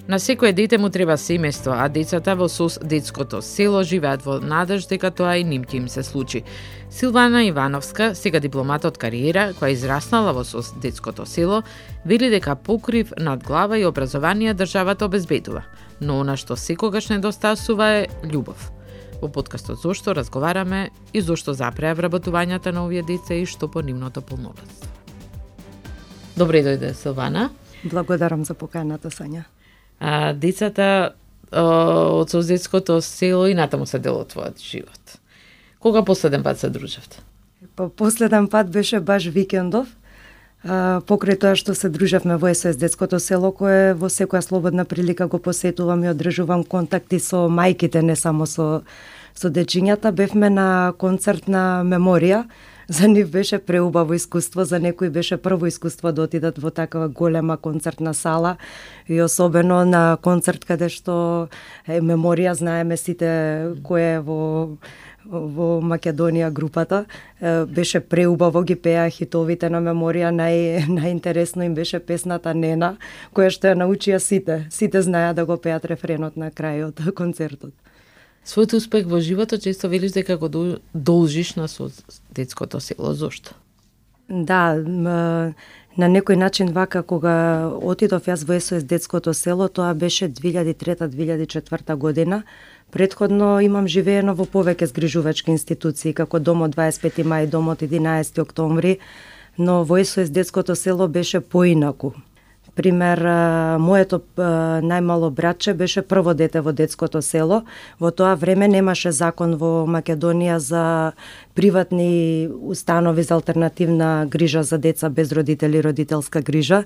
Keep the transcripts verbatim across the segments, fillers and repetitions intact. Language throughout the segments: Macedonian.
На секое дете му треба семејство, а децата во СОС детското село живеат во надеж дека тоа и ним ќе им се случи. Силвана Ивановска, сега дипломат од кариера, која израснала во СОС детското село, вели дека покрив над глава и образование државата обезбедува, но она што секогаш недостасува е љубов. Во подкастот Зошто разговараме и зошто запреа вработувањата на овие деца и што по нивното полнолетство. Добре дојде, Силвана. Благодарам за поканата, Сања. А, децата од СОС детското село и натаму се дел од твојот живот. Кога последен пат се дружевте? Па последен пат беше баш викендов. А, покрај тоа што се дружевме во СОС детското село, кое во секоја слободна прилика го посетувам и одржувам контакти со мајките, не само со со дечињата. Бевме на концерт на Меморија. За нив беше преубаво искуство, за некои беше прво искуство да отидат во такава голема концертна сала и особено на концерт каде што е Меморија, знаеме сите кој е во во Македонија групата. Беше преубаво, ги пеа хитовите на Меморија, нај најинтересно им беше песната Нена, која што ја научија сите. Сите знаеа да го пеат рефренот на крајот концертот. Својот успех во животот често велиш дека го должиш на СОС детското село. Зошто? Да, на некој начин вака кога отидов јас во СОС детското село, тоа беше две илјади и трета - две илјади и четврта година. Предходно имам живеено во повеќе згрижувачки институции, како Домот дваесет и пети мај, Домот единаесети октомври, но во СОС детското село беше поинаку. Пример, моето најмало братче беше прво дете во детското село. Во тоа време немаше закон во Македонија за приватни установи за алтернативна грижа за деца без родители, родителска грижа.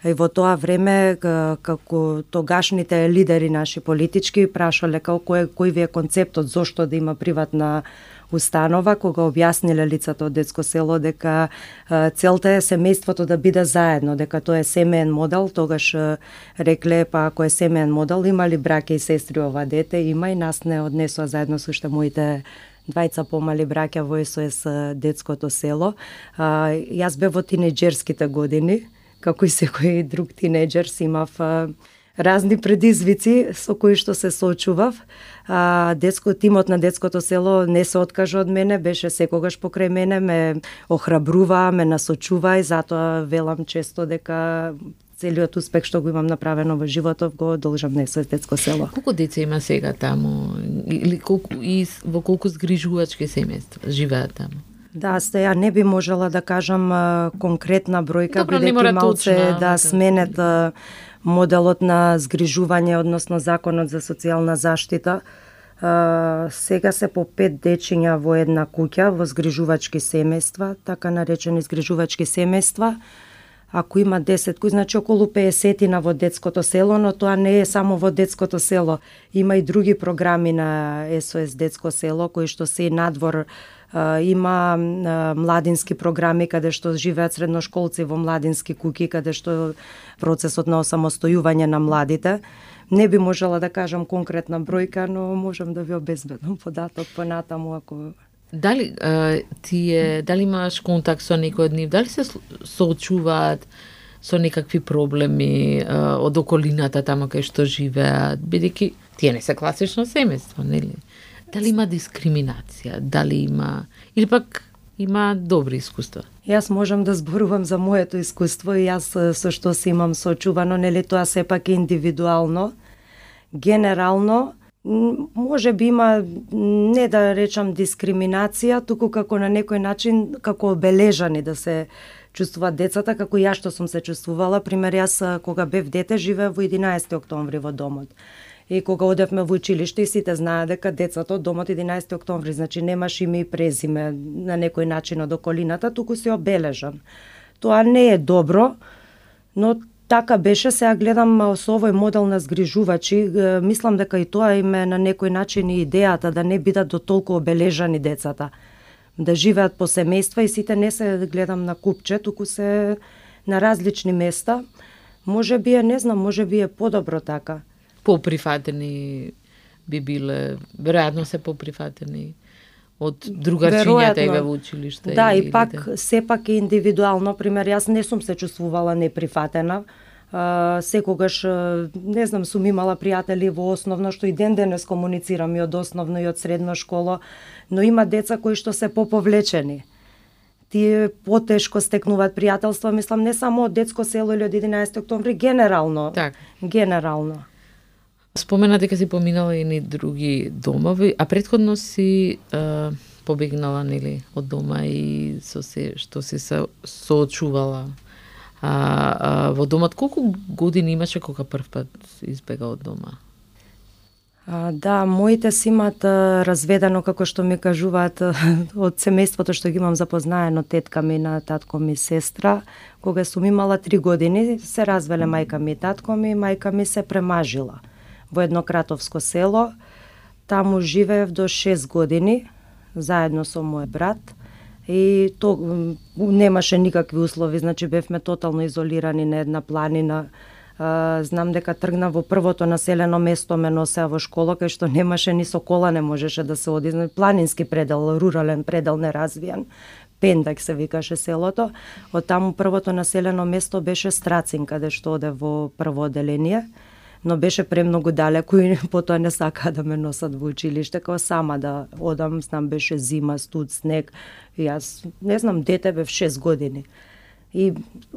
И во тоа време, како тогашните лидери наши политички прашале како кој, кој ви е концептот, зошто да има приватна установа, кога објасниле лицата од детско село дека целта е семејството да биде заедно, дека тоа е семеен модел, тогаш рекле па ако е семеен модел, има ли браќа и сестри ова дете? Има, и нас не однесоа заедно со уште моите двајца помали браќа во СОС детското село. Јас бев во тинејџерските години, како и секој друг тинејџер, си имав разни предизвици со кои што се соочував. А, детско, тимот на детското село не се откажа од мене, беше секогаш покрај мене, ме охрабрува, ме насочува и затоа велам често дека целиот успех што го имам направено во животот го должам на СОС детско село. Колку деца има сега таму? Или колку, и во колку згрижувачки семејства живеат таму? Да, ја не би можела да кажам а, конкретна бројка, бидејќи малце точно, да сменет а, моделот на згрижување, односно законот за социјална заштита. А, сега се по пет дечиња во една куќа во згрижувачки семејства, така наречени згрижувачки семејства. Ако има десет куќи, значи околу песетина во детското село, но тоа не е само во детското село. Има и други програми на СОС детско село кои што се и надвор. Uh, има uh, младински програми каде што живеат средношколци во младински куќи, каде што процесот на осамостојување на младите. Не би можела да кажам конкретна бројка, но можам да ви обезбедам податок понатаму ако... Дали uh, тие, дали имаш контакт со некој од нив? Дали се соочуваат со некакви проблеми uh, од околината таму кај што живеат? Бидејќи тие не се класично семејство, нели? Дали има дискриминација, дали има, или пак има добри искуства? Јас можам да зборувам за моето искуство и јас со што се имам соочувано, нели тоа сепак е индивидуално. Генерално, може би има, не да речам дискриминација, туку како на некој начин, како обележани да се чувствуваат децата, како јас што сум се чувствувала. Пример, јас кога бев дете живеев во единаесети октомври во домот. И кога одевме во училиште, и сите знаат дека децата од домот единаесети октомври, значи немаш име и презиме на некој начин од околината, туку си обележан. Тоа не е добро, но така беше. Сега гледам со овој модел на згрижувачи, мислам дека и тоа им е на некој начин и идејата да не бидат до толку обележани децата, да живеат по семејства и сите не се гледам на купче, туку се на различни места. Може би е, не знам, може би е подобро така. Поприфатени би биле, веројатно се поприфатени од другарчињата и во училиште. Да, и, и пак, да. Сепак е индивидуално. Пример, јас не сум се чувствувала неприфатена, А, секогаш, не знам, сум имала пријатели во основно, што и ден денес комуницирам и од основно и од средно школа, но има деца кои што се поповлечени. Тие потешко стекнуваат пријателства, мислам, не само од детско село или од единаесети октомври, генерално. Так. Генерално. Спомена дека си поминала и ни други домови, а претходно си е, побегнала, нели, од дома и со се што си се соочувала. А, а во домот колку години имаше кога прв пат избега од дома? А, да, моите си имат а, разведено, како што ми кажуваат, од семејството што ги имам запознаено, тетка ми на татко ми сестра. Кога сум имала три години, се развеле мајка ми и татко ми, мајка ми се премажила во едно кратовско село. Таму живеев до шест години, заедно со мој брат. И то немаше никакви услови, значи бевме тотално изолирани на една планина. Uh, знам дека тргна во првото населено место, ме носеа во школа, кај што немаше ни со кола, не можеше да се оди. Планински предел, рурален предел, неразвиен. Пендак се викаше селото. Од таму првото населено место беше Страцин, каде што оде во прво оделение, но беше премногу далеко и потоа не сакаа да ме носат во училиште, као сама да одам, знам, беше зима, студ, снег. И јас, не знам, дете бев шест години. И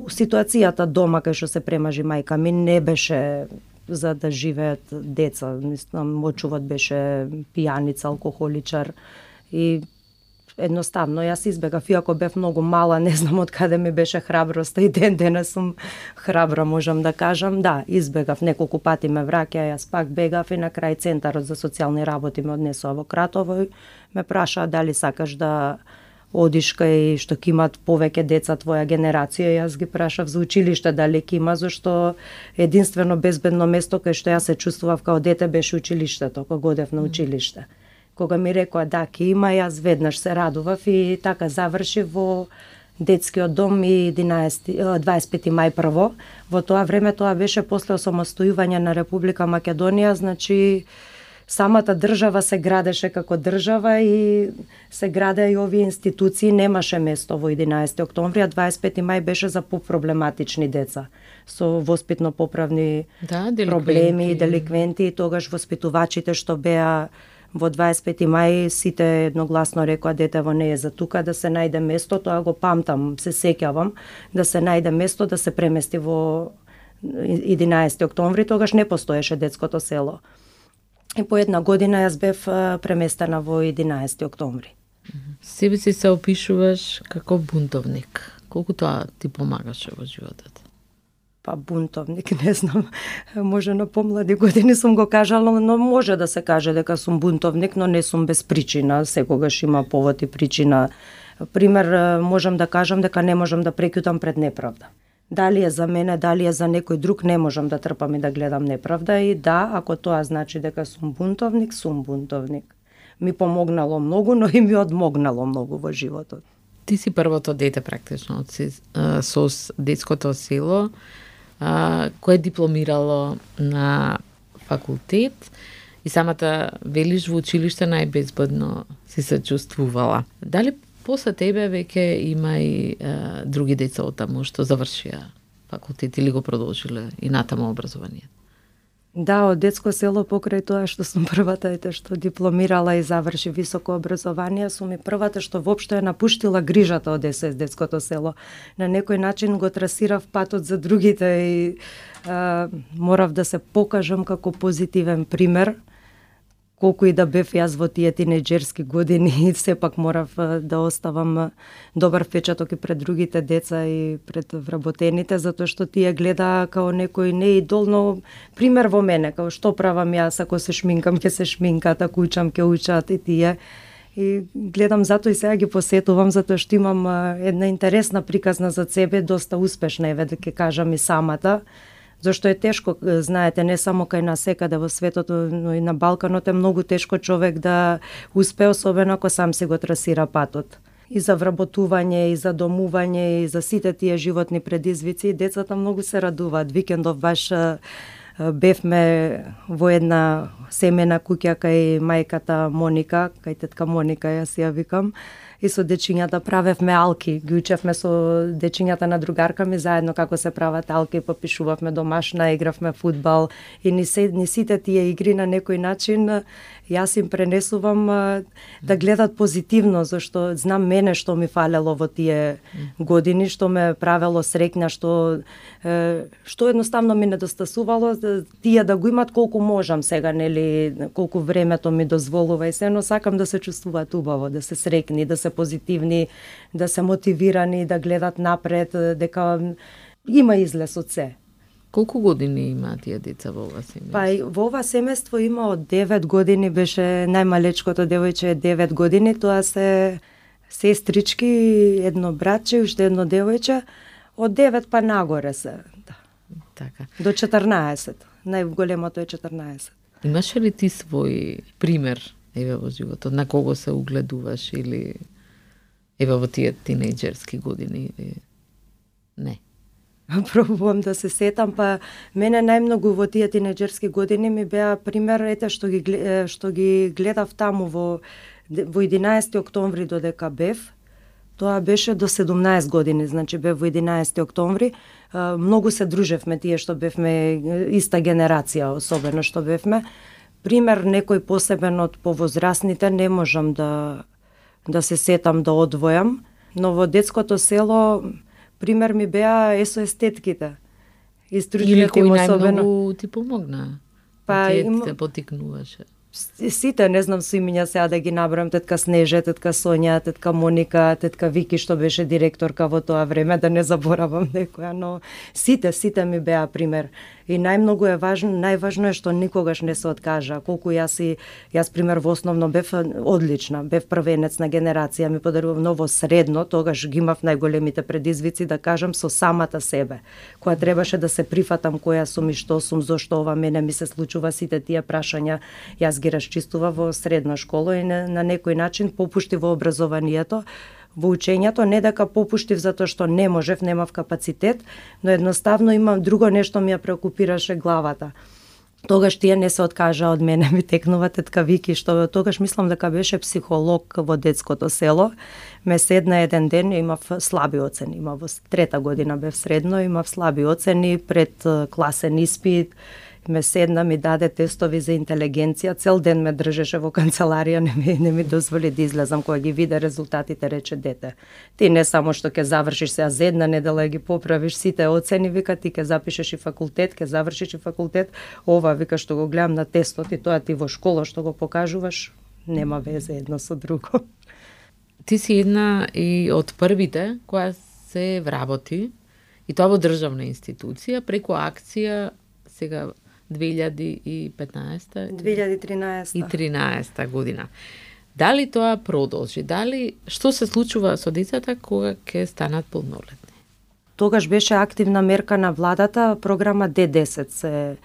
ситуацијата дома кај што се премажи мајка ми не беше за да живеат деца. Мислам, очувот беше пијаница, алкохоличар и едноставно јас избегав, иако бев многу мала, не знам од каде ми беше храброста и ден денес сум храбра, можам да кажам. Да, избегав, неколку пати ме враќа, јас пак бегав и на крај Центарот за социјални работи ме однесува во Кратово и ме прашаа дали сакаш да одиш кај што ќе имат повеќе деца твоја генерација. Јас ги прашав за училиште дали ќе има, зашто единствено безбедно место кај што јас се чувствував као дете беше училиштето, кога одев на училиште. Кога ми рекоа да ќе има, јас веднаш се радував и така заврши во детскиот дом и дваесет и пети мај прво. Во тоа време тоа беше после осамостојување на Република Македонија, значи самата држава се градеше како држава и се градеа и овие институции, немаше место во единаесети октомври, а дваесет и пети мај беше за попроблематични деца со воспитно-поправни да, деликвенти. проблеми и деликвенти. И тогаш воспитувачите што беа во дваесет и пети мај сите едногласно рекоа детево не е за тука, да се најде место, тоа го памтам, се сеќавам, да се најде место да се премести во единаесети октомври, тогаш не постоеше детското село. И по една година јас бев преместена во единаесети октомври. Себе си се опишуваш како бунтовник. Колку тоа ти помагаше во животот? Па бунтовник, не знам, може на помлади години сум го кажала, но може да се каже дека сум бунтовник, но не сум без причина, секогаш има повод и причина. Пример, можам да кажам дека не можам да преќутам пред неправда. Дали е за мене, дали е за некој друг, не можам да трпам и да гледам неправда. И да, ако тоа значи дека сум бунтовник, сум бунтовник. Ми помогнало многу, но и ми одмогнало многу во животот. Ти си првото дете практично со детското село, кое дипломирало на факултет и самата велиш во училиште најбезбедно си се чувствувала. Дали после тебе веќе има и е, други деца од таму што завршија факултет или го продолжиле и натаму образование? Да, од детско село покрај тоа што сум првата ете што дипломирала и заврши високо образование, сум и првата што воопшто е напуштила грижата од ес ес детското село. На некој начин го трасирав патот за другите и а, морав да се покажам како позитивен пример. Колку и да бев јас во тие тинеџерски години, сепак морав да оставам добар впечаток и пред другите деца и пред вработените, затоа што тие гледа као некој не идол, но пример во мене, као што правам јас, ако се шминкам, ќе се шминкат, ако учам, ќе учат и тие. И гледам затоа и сега ги посетувам, затоа што имам една интересна приказна за себе, доста успешна е, да ќе кажам и самата. Зашто е тешко, знаете, не само кај нас секаде во светот, но и на Балканот е многу тешко човек да успе, особено ако сам си го трасира патот. И за вработување, и за домување, и за сите тие животни предизвици, децата многу се радуваат. Викендов баш бевме во една семена куќа кај мајката Моника, кај тетка Моника, јас ја викам, и со дечињата правевме алки. Ги учевме со дечињата на другарка ми заедно како се прават алки, попишувавме домашна, игравме фудбал и ни, се, ни сите тие игри на некој начин јас им пренесувам да гледат позитивно, зашто знам мене што ми фалело во тие години, што ме правело среќна, што што едноставно ми недостасувало, тие да го имат колку можам сега, нели, колку времето ми дозволува и се, но сакам да се чувствуваат убаво, да се среќни, да се позитивни, да се мотивирани, да гледат напред, дека има излез од се. Колку години има тие деца во ова семејство? Па во ова семејство има од девет години, беше најмалечкото девојче е девет години, тоа се сестрички, едно братче, уште едно девојче, од девет па нагоре се. Да. Така. До четрнаесет. Најголемото е четрнаесет. Имаше ли ти свој пример еве во животот, на кого се угледуваш или еве во тие тинејџерски години или не? Пробувам да се сетам, па мене најмногу во тие тинејџерски години ми беа пример ете што ги што ги гледав таму во во единаесети октомври додека бев. Тоа беше до седумнаесет години, значи бев во единаесети октомври. Многу се дружевме тие што бевме иста генерација, особено што бевме. Пример некој посебен од повозрасните не можам да да се сетам да одвојам, но во детското село пример ми беа есоестетките. Или кој најмногу ти помогна? Па ти им... те потикнуваше? Сите, не знам со имиња сега да ги набрам, тетка Снеже, тетка Сонја, тетка Моника, тетка Вики што беше директорка во тоа време, да не заборавам некоја, но сите, сите ми беа пример. И најмногу е важно, најважно е што никогаш не се откажа. Колку јас и јас пример во основно бев одлична, бев првенец на генерација, ми подарував ново средно, тогаш ги имав најголемите предизвици да кажам со самата себе, која требаше да се прифатам која сум и што сум, зошто ова мене ми се случува, сите тие прашања јас ги расчистува во средна школа и на, на некој начин попушти во образованието, во учењето, не дека попуштив затоа што не можев, немав капацитет, но едноставно имам друго нешто ми ја преокупираше главата. Тогаш тие не се откажа од мене, ми текнува тетка Вики, што тогаш мислам дека беше психолог во детското село. Ме седна еден ден, имав слаби оцени, имав во трета година бев средно, имав слаби оцени пред класен испит. Ме седна, ми даде тестови за интелигенција, цел ден ме држеше во канцеларија, не ми, не ми дозволи да излезам. Кога ги виде резултатите, рече: дете, ти не само што ќе завршиш сега за една недела ги поправиш сите оцени, вика, ти ќе запишеш и факултет, ќе завршиш и факултет, ова, вика, што го гледам на тестот и тоа ти во школа што го покажуваш, нема везе едно со друго. Ти си една и од првите која се вработи, и тоа во државна институција, преку акција сега две илјади и петнаесета две илјади и тринаесета и тринаесета година. Дали тоа продолжи? Дали што се случува со децата кога ќе станат полнолетни? Тогаш беше активна мерка на владата, програма Д десет се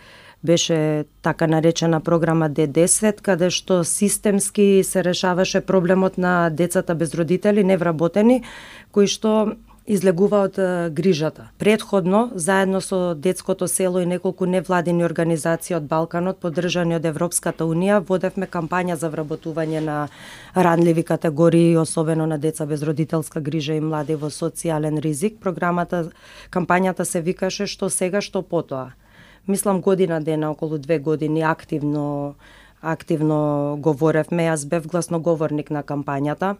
беше така наречена програма Д десет, каде што системски се решаваше проблемот на децата без родители, невработени, кои што излегува од грижата. Предходно, заедно со детското село и неколку невладини организации од Балканот, поддржани од Европската унија, водевме кампања за вработување на ранливи категории, особено на деца без родителска грижа и млади во социјален ризик. Програмата, кампањата се викаше "Што сега, што потоа". Мислам година дена, околу две години активно активно говоревме. Јас бев гласноговорник на кампањата.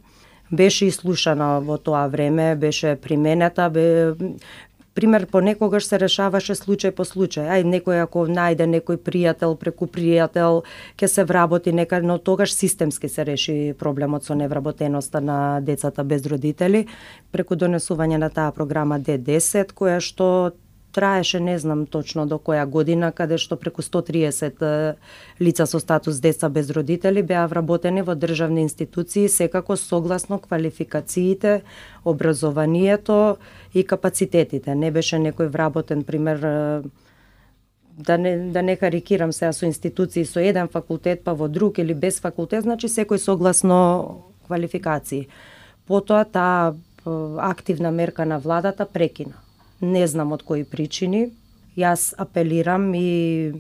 Беше ислушана во тоа време, беше применета, бе, пример понекогаш се решаваше случај по случај. Ај, некој ако најде некој пријател, преку пријател, ќе се вработи некај, но тогаш системски се реши проблемот со невработеноста на децата без родители, преку донесување на таа програма Д десет, која што траеше, не знам точно до која година, каде што преку сто триесет лица со статус деца без родители беа вработени во државни институции, секако согласно квалификациите, образованието и капацитетите. Не беше некој вработен, пример, да не, да не карикирам сега со институции со еден факултет, па во друг или без факултет, значи секој согласно квалификации. Потоа таа активна мерка на владата прекина. Не знам од кои причини. Јас апелирам и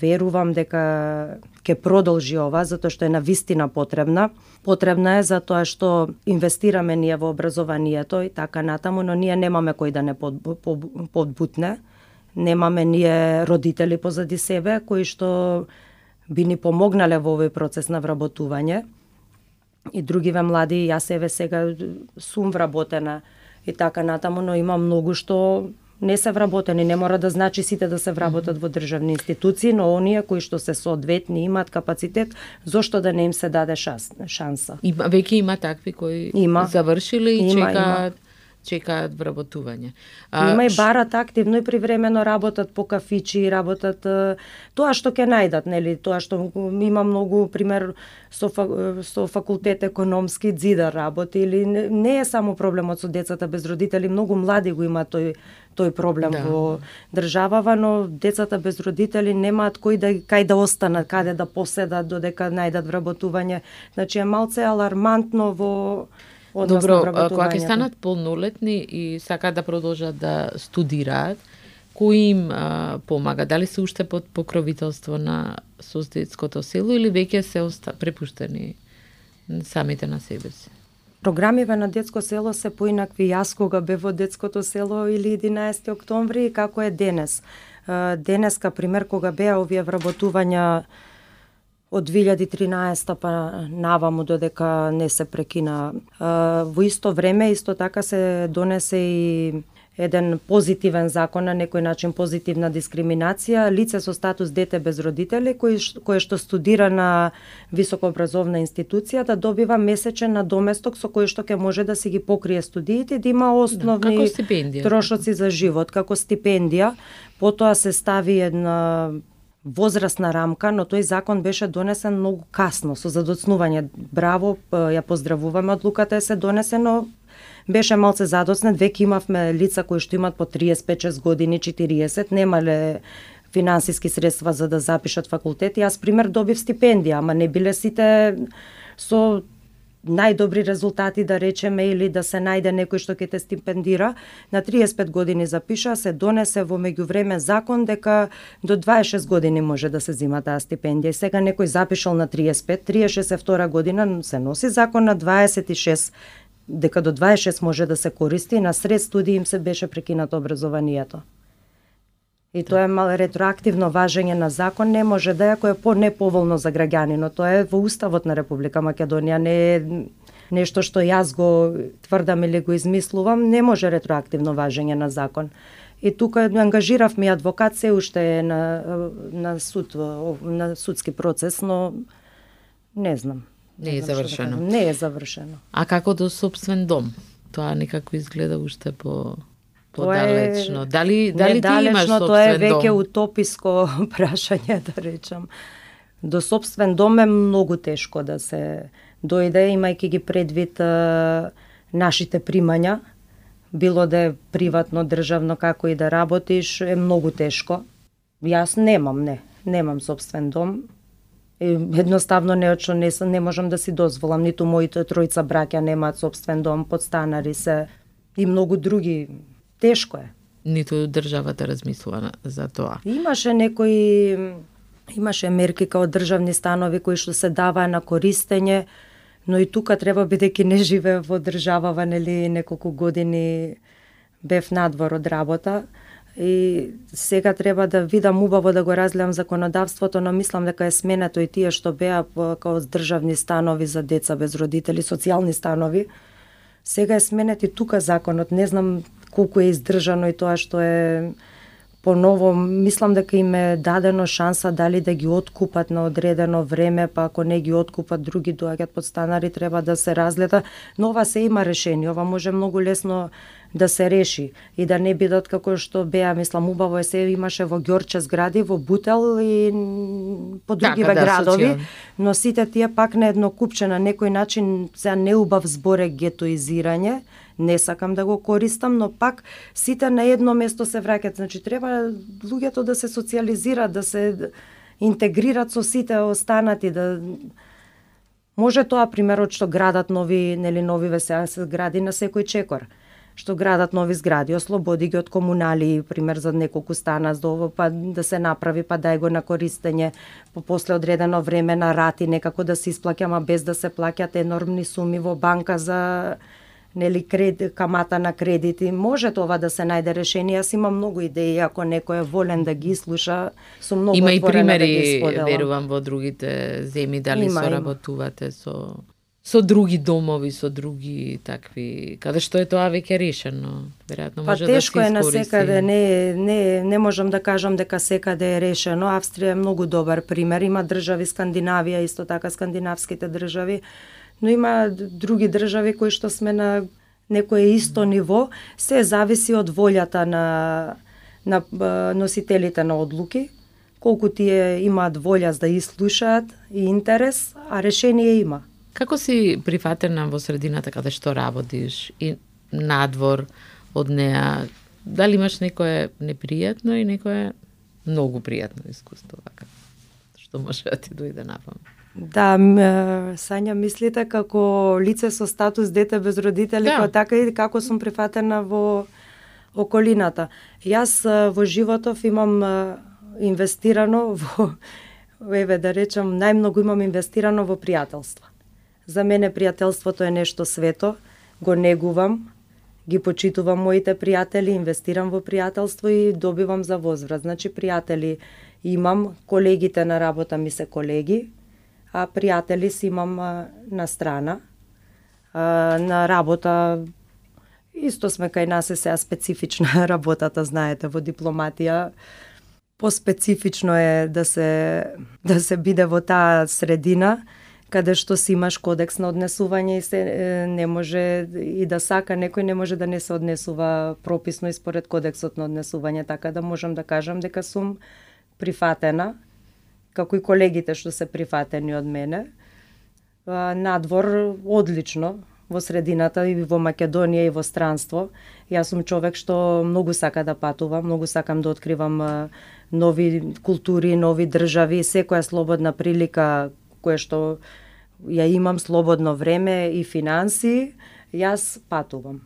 верувам дека ќе продолжи ова, затоа што е навистина потребна. Потребна е затоа што инвестираме ние во образованието и така натаму, но ние немаме кој да не подбутне. Немаме ние родители позади себе кои што би ни помогнале во овој процес на вработување. И другиве млади, јас еве сега сум вработена и така натаму, но има многу што не се вработени, не мора да значи сите да се вработат во државни институции, но оние кои што се соодветни, имаат капацитет, зошто да не им се даде шанса? Има, веќе има такви кои има. завршиле и има, чекаат има. чекаат вработување. А, има и барат активно и привремено работат по кафичи, работат тоа што ќе најдат, нели, тоа што има многу пример со со факултет економски дзида работи или не, не е само проблемот со децата без родители, многу млади го имаат тој тој проблем да. Во државава, но децата без родители немаат кој да кај да останат, каде да поседат додека најдат вработување. Значи е малце алармантно во Добро, кога ќе станат полнолетни и сакаат да продолжат да студираат, кој им а, помага? Дали се уште под покровителство на СОС детското село или веќе се оста... препуштени самите на себе си? Програмиве на детско село се поинакви. Јас кога бев во детското село или единаесети октомври, како е денес. Денеска, пример, кога беа овие вработувања од две илјади и тринаесета па наваму додека не се прекина. Во исто време, исто така се донесе и еден позитивен закон, на некој начин позитивна дискриминација, лице со статус дете без родители, кој, кое што студира на високообразовна институција, да добива месечен надоместок со кој што ќе може да си ги покрие студиите, да има основни да, трошоци за живот, како стипендија. Потоа се стави една возрастна рамка, но тој закон беше донесен многу касно, со задоцнување. Браво, ја поздравуваме одлуката е се донесено, беше малце задоцнет, веќе имавме лица кои што имат по триесет и шест години, четириесет, немале финансиски средства за да запишат факултет. Јас пример добив стипендија, ама не биле сите со најдобри резултати, да речеме, или да се најде некој што ќе те стипендира. На триесет и пет години запиша, се донесе во меѓувреме закон дека до дваесет и шест години може да се зима таа стипендија. И сега некој запишал на триесет и пет, триесет и шест е втора година, се носи закон на дваесет и шест, дека до дваесет и шест може да се користи, на сред студии им се беше прекинато образованието. И тоа е мал ретроактивно важење на закон, не може да е, кој е по-неповолно за граѓанинот. Тоа е во Уставот на Република Македонија, не е нешто што јас го тврдам или го измислувам, не може ретроактивно важење на закон. И тука ангажиравме адвокат, се уште е на, на суд, на судски процес, но не знам. Не, не е завршено. Да не е завршено. А како до собствен дом? Тоа некако изгледа уште по подалечно. Дали дали ти имаш собствен дом? Тоа е веќе утописко прашање, да речам. До собствен дом е многу тешко да се дојде, имајќи ги предвид а, нашите примања, било да е приватно, државно, како и да работиш, е многу тешко. Јас немам, не, немам собствен дом. И едноставно не, не, не можам да си дозволам, ниту моите тројца браќа немаат собствен дом, подстанари се и многу други. Тешко е. Ниту државата размислува за тоа. Имаше некои имаше мерки као државни станови кои што се даваа на користење, но и тука треба, бидејќи не живее во државава, нели, неколку години бев надвор од работа и сега треба да видам убаво да го разгледам законодавството, но мислам дека е сменето и тие што беа као државни станови за деца без родители, социјални станови. Сега е сменет и тука законот, не знам колку е издржано и тоа што е поново, мислам дека им е дадено шанса дали да ги откупат на одредено време, па ако не ги откупат, други доаѓаат подстанари, треба да се разгледа, но ова се има решение, ова може многу лесно да се реши и да не бидат како што беа, мислам, убаво е, се имаше во Ѓорче згради, во Бутел и по другиве така, да, градови, социјал. но сите тие пак на едно купче, на некој начин, се неубав зборе гетоизирање, не сакам да го користам, но пак сите на едно место се враќаат. Значи треба луѓето да се социјализираат, да се интегрираат со сите останати, да може тоа примерот што градат нови, нели новиве сега се гради на секој чекор. што градат нови згради, ослободи ги од комунали, пример за неколку стана за ово, па да се направи, па дај го на користење, по после одредено време на рати, некако да се исплаќа, ама без да се плаќат енормни суми во банка за нели кред, камата на кредити. Може това да се најде решение. Јас имам многу идеи, ако некој е волен да ги слуша, сум многу има отворена да ги споделам. Има и примери, верувам, во другите земји, дали има, соработувате со со други домови, со други такви, каде што е тоа веќе решено, веројатно може па, да се искористи. Па тешко е на секаде, не, не, не можам да кажам дека секаде е решено. Австрија е многу добар пример, има држави, Скандинавија, исто така скандинавските држави, но има други држави кои што сме на некое исто ниво, се зависи од волјата на, на носителите на одлуки, колку тие имаат волја да ислушаат и интерес, а решение има. Како си прифатена во средината каде што работиш и надвор од неа? Дали имаш некое непријатно и некое многу пријатно искуство, вака, што може да ти дојде на памет? Да, Сања, мислите како лице со статус дете без родители, да. Така и како сум прифатена во околината. Јас во животов имам инвестирано во, еве да речам, најмногу имам инвестирано во пријателства. За мене пријателството е нешто свето, го негувам, ги почитувам моите пријатели, инвестирам во пријателство и добивам за возврат. Значи, пријатели имам, колегите на работа ми се колеги, а пријатели си имам на страна. На работа исто сме кај нас е сега специфична работата, знаете, во дипломатија. Поспецифично е да се да се биде во таа средина, каде што си имаш кодекс на однесување и се не може и да сака некој не може да не се однесува прописно и според кодексот на однесување, така да можам да кажам дека сум прифатена, како и колегите што се прифатени од мене. Надвор одлично во средината и во Македонија и во странство. Јас сум човек што многу сака да патувам, многу сакам да откривам нови култури, нови држави, секоја слободна прилика која што ја имам слободно време и финанси, јас патувам.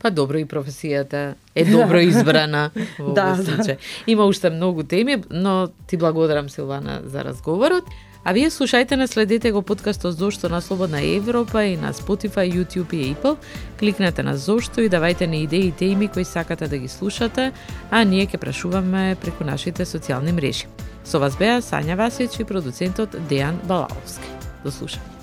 Па добро, и професијата е добро избрана во да, овој случај. Има уште многу теми, но ти благодарам, Силвана, за разговорот. А вие слушајте не следете го подкастот Зошто на Слободна Европа и на Spotify, YouTube и Apple. Кликнете на Зошто и давајте ни идеи и теми кои сакате да ги слушате, а ние ќе прашуваме преку нашите социјални мрежи. Со вас беа Сања Васич и продуцентот Дејан Балаловски. До слушање.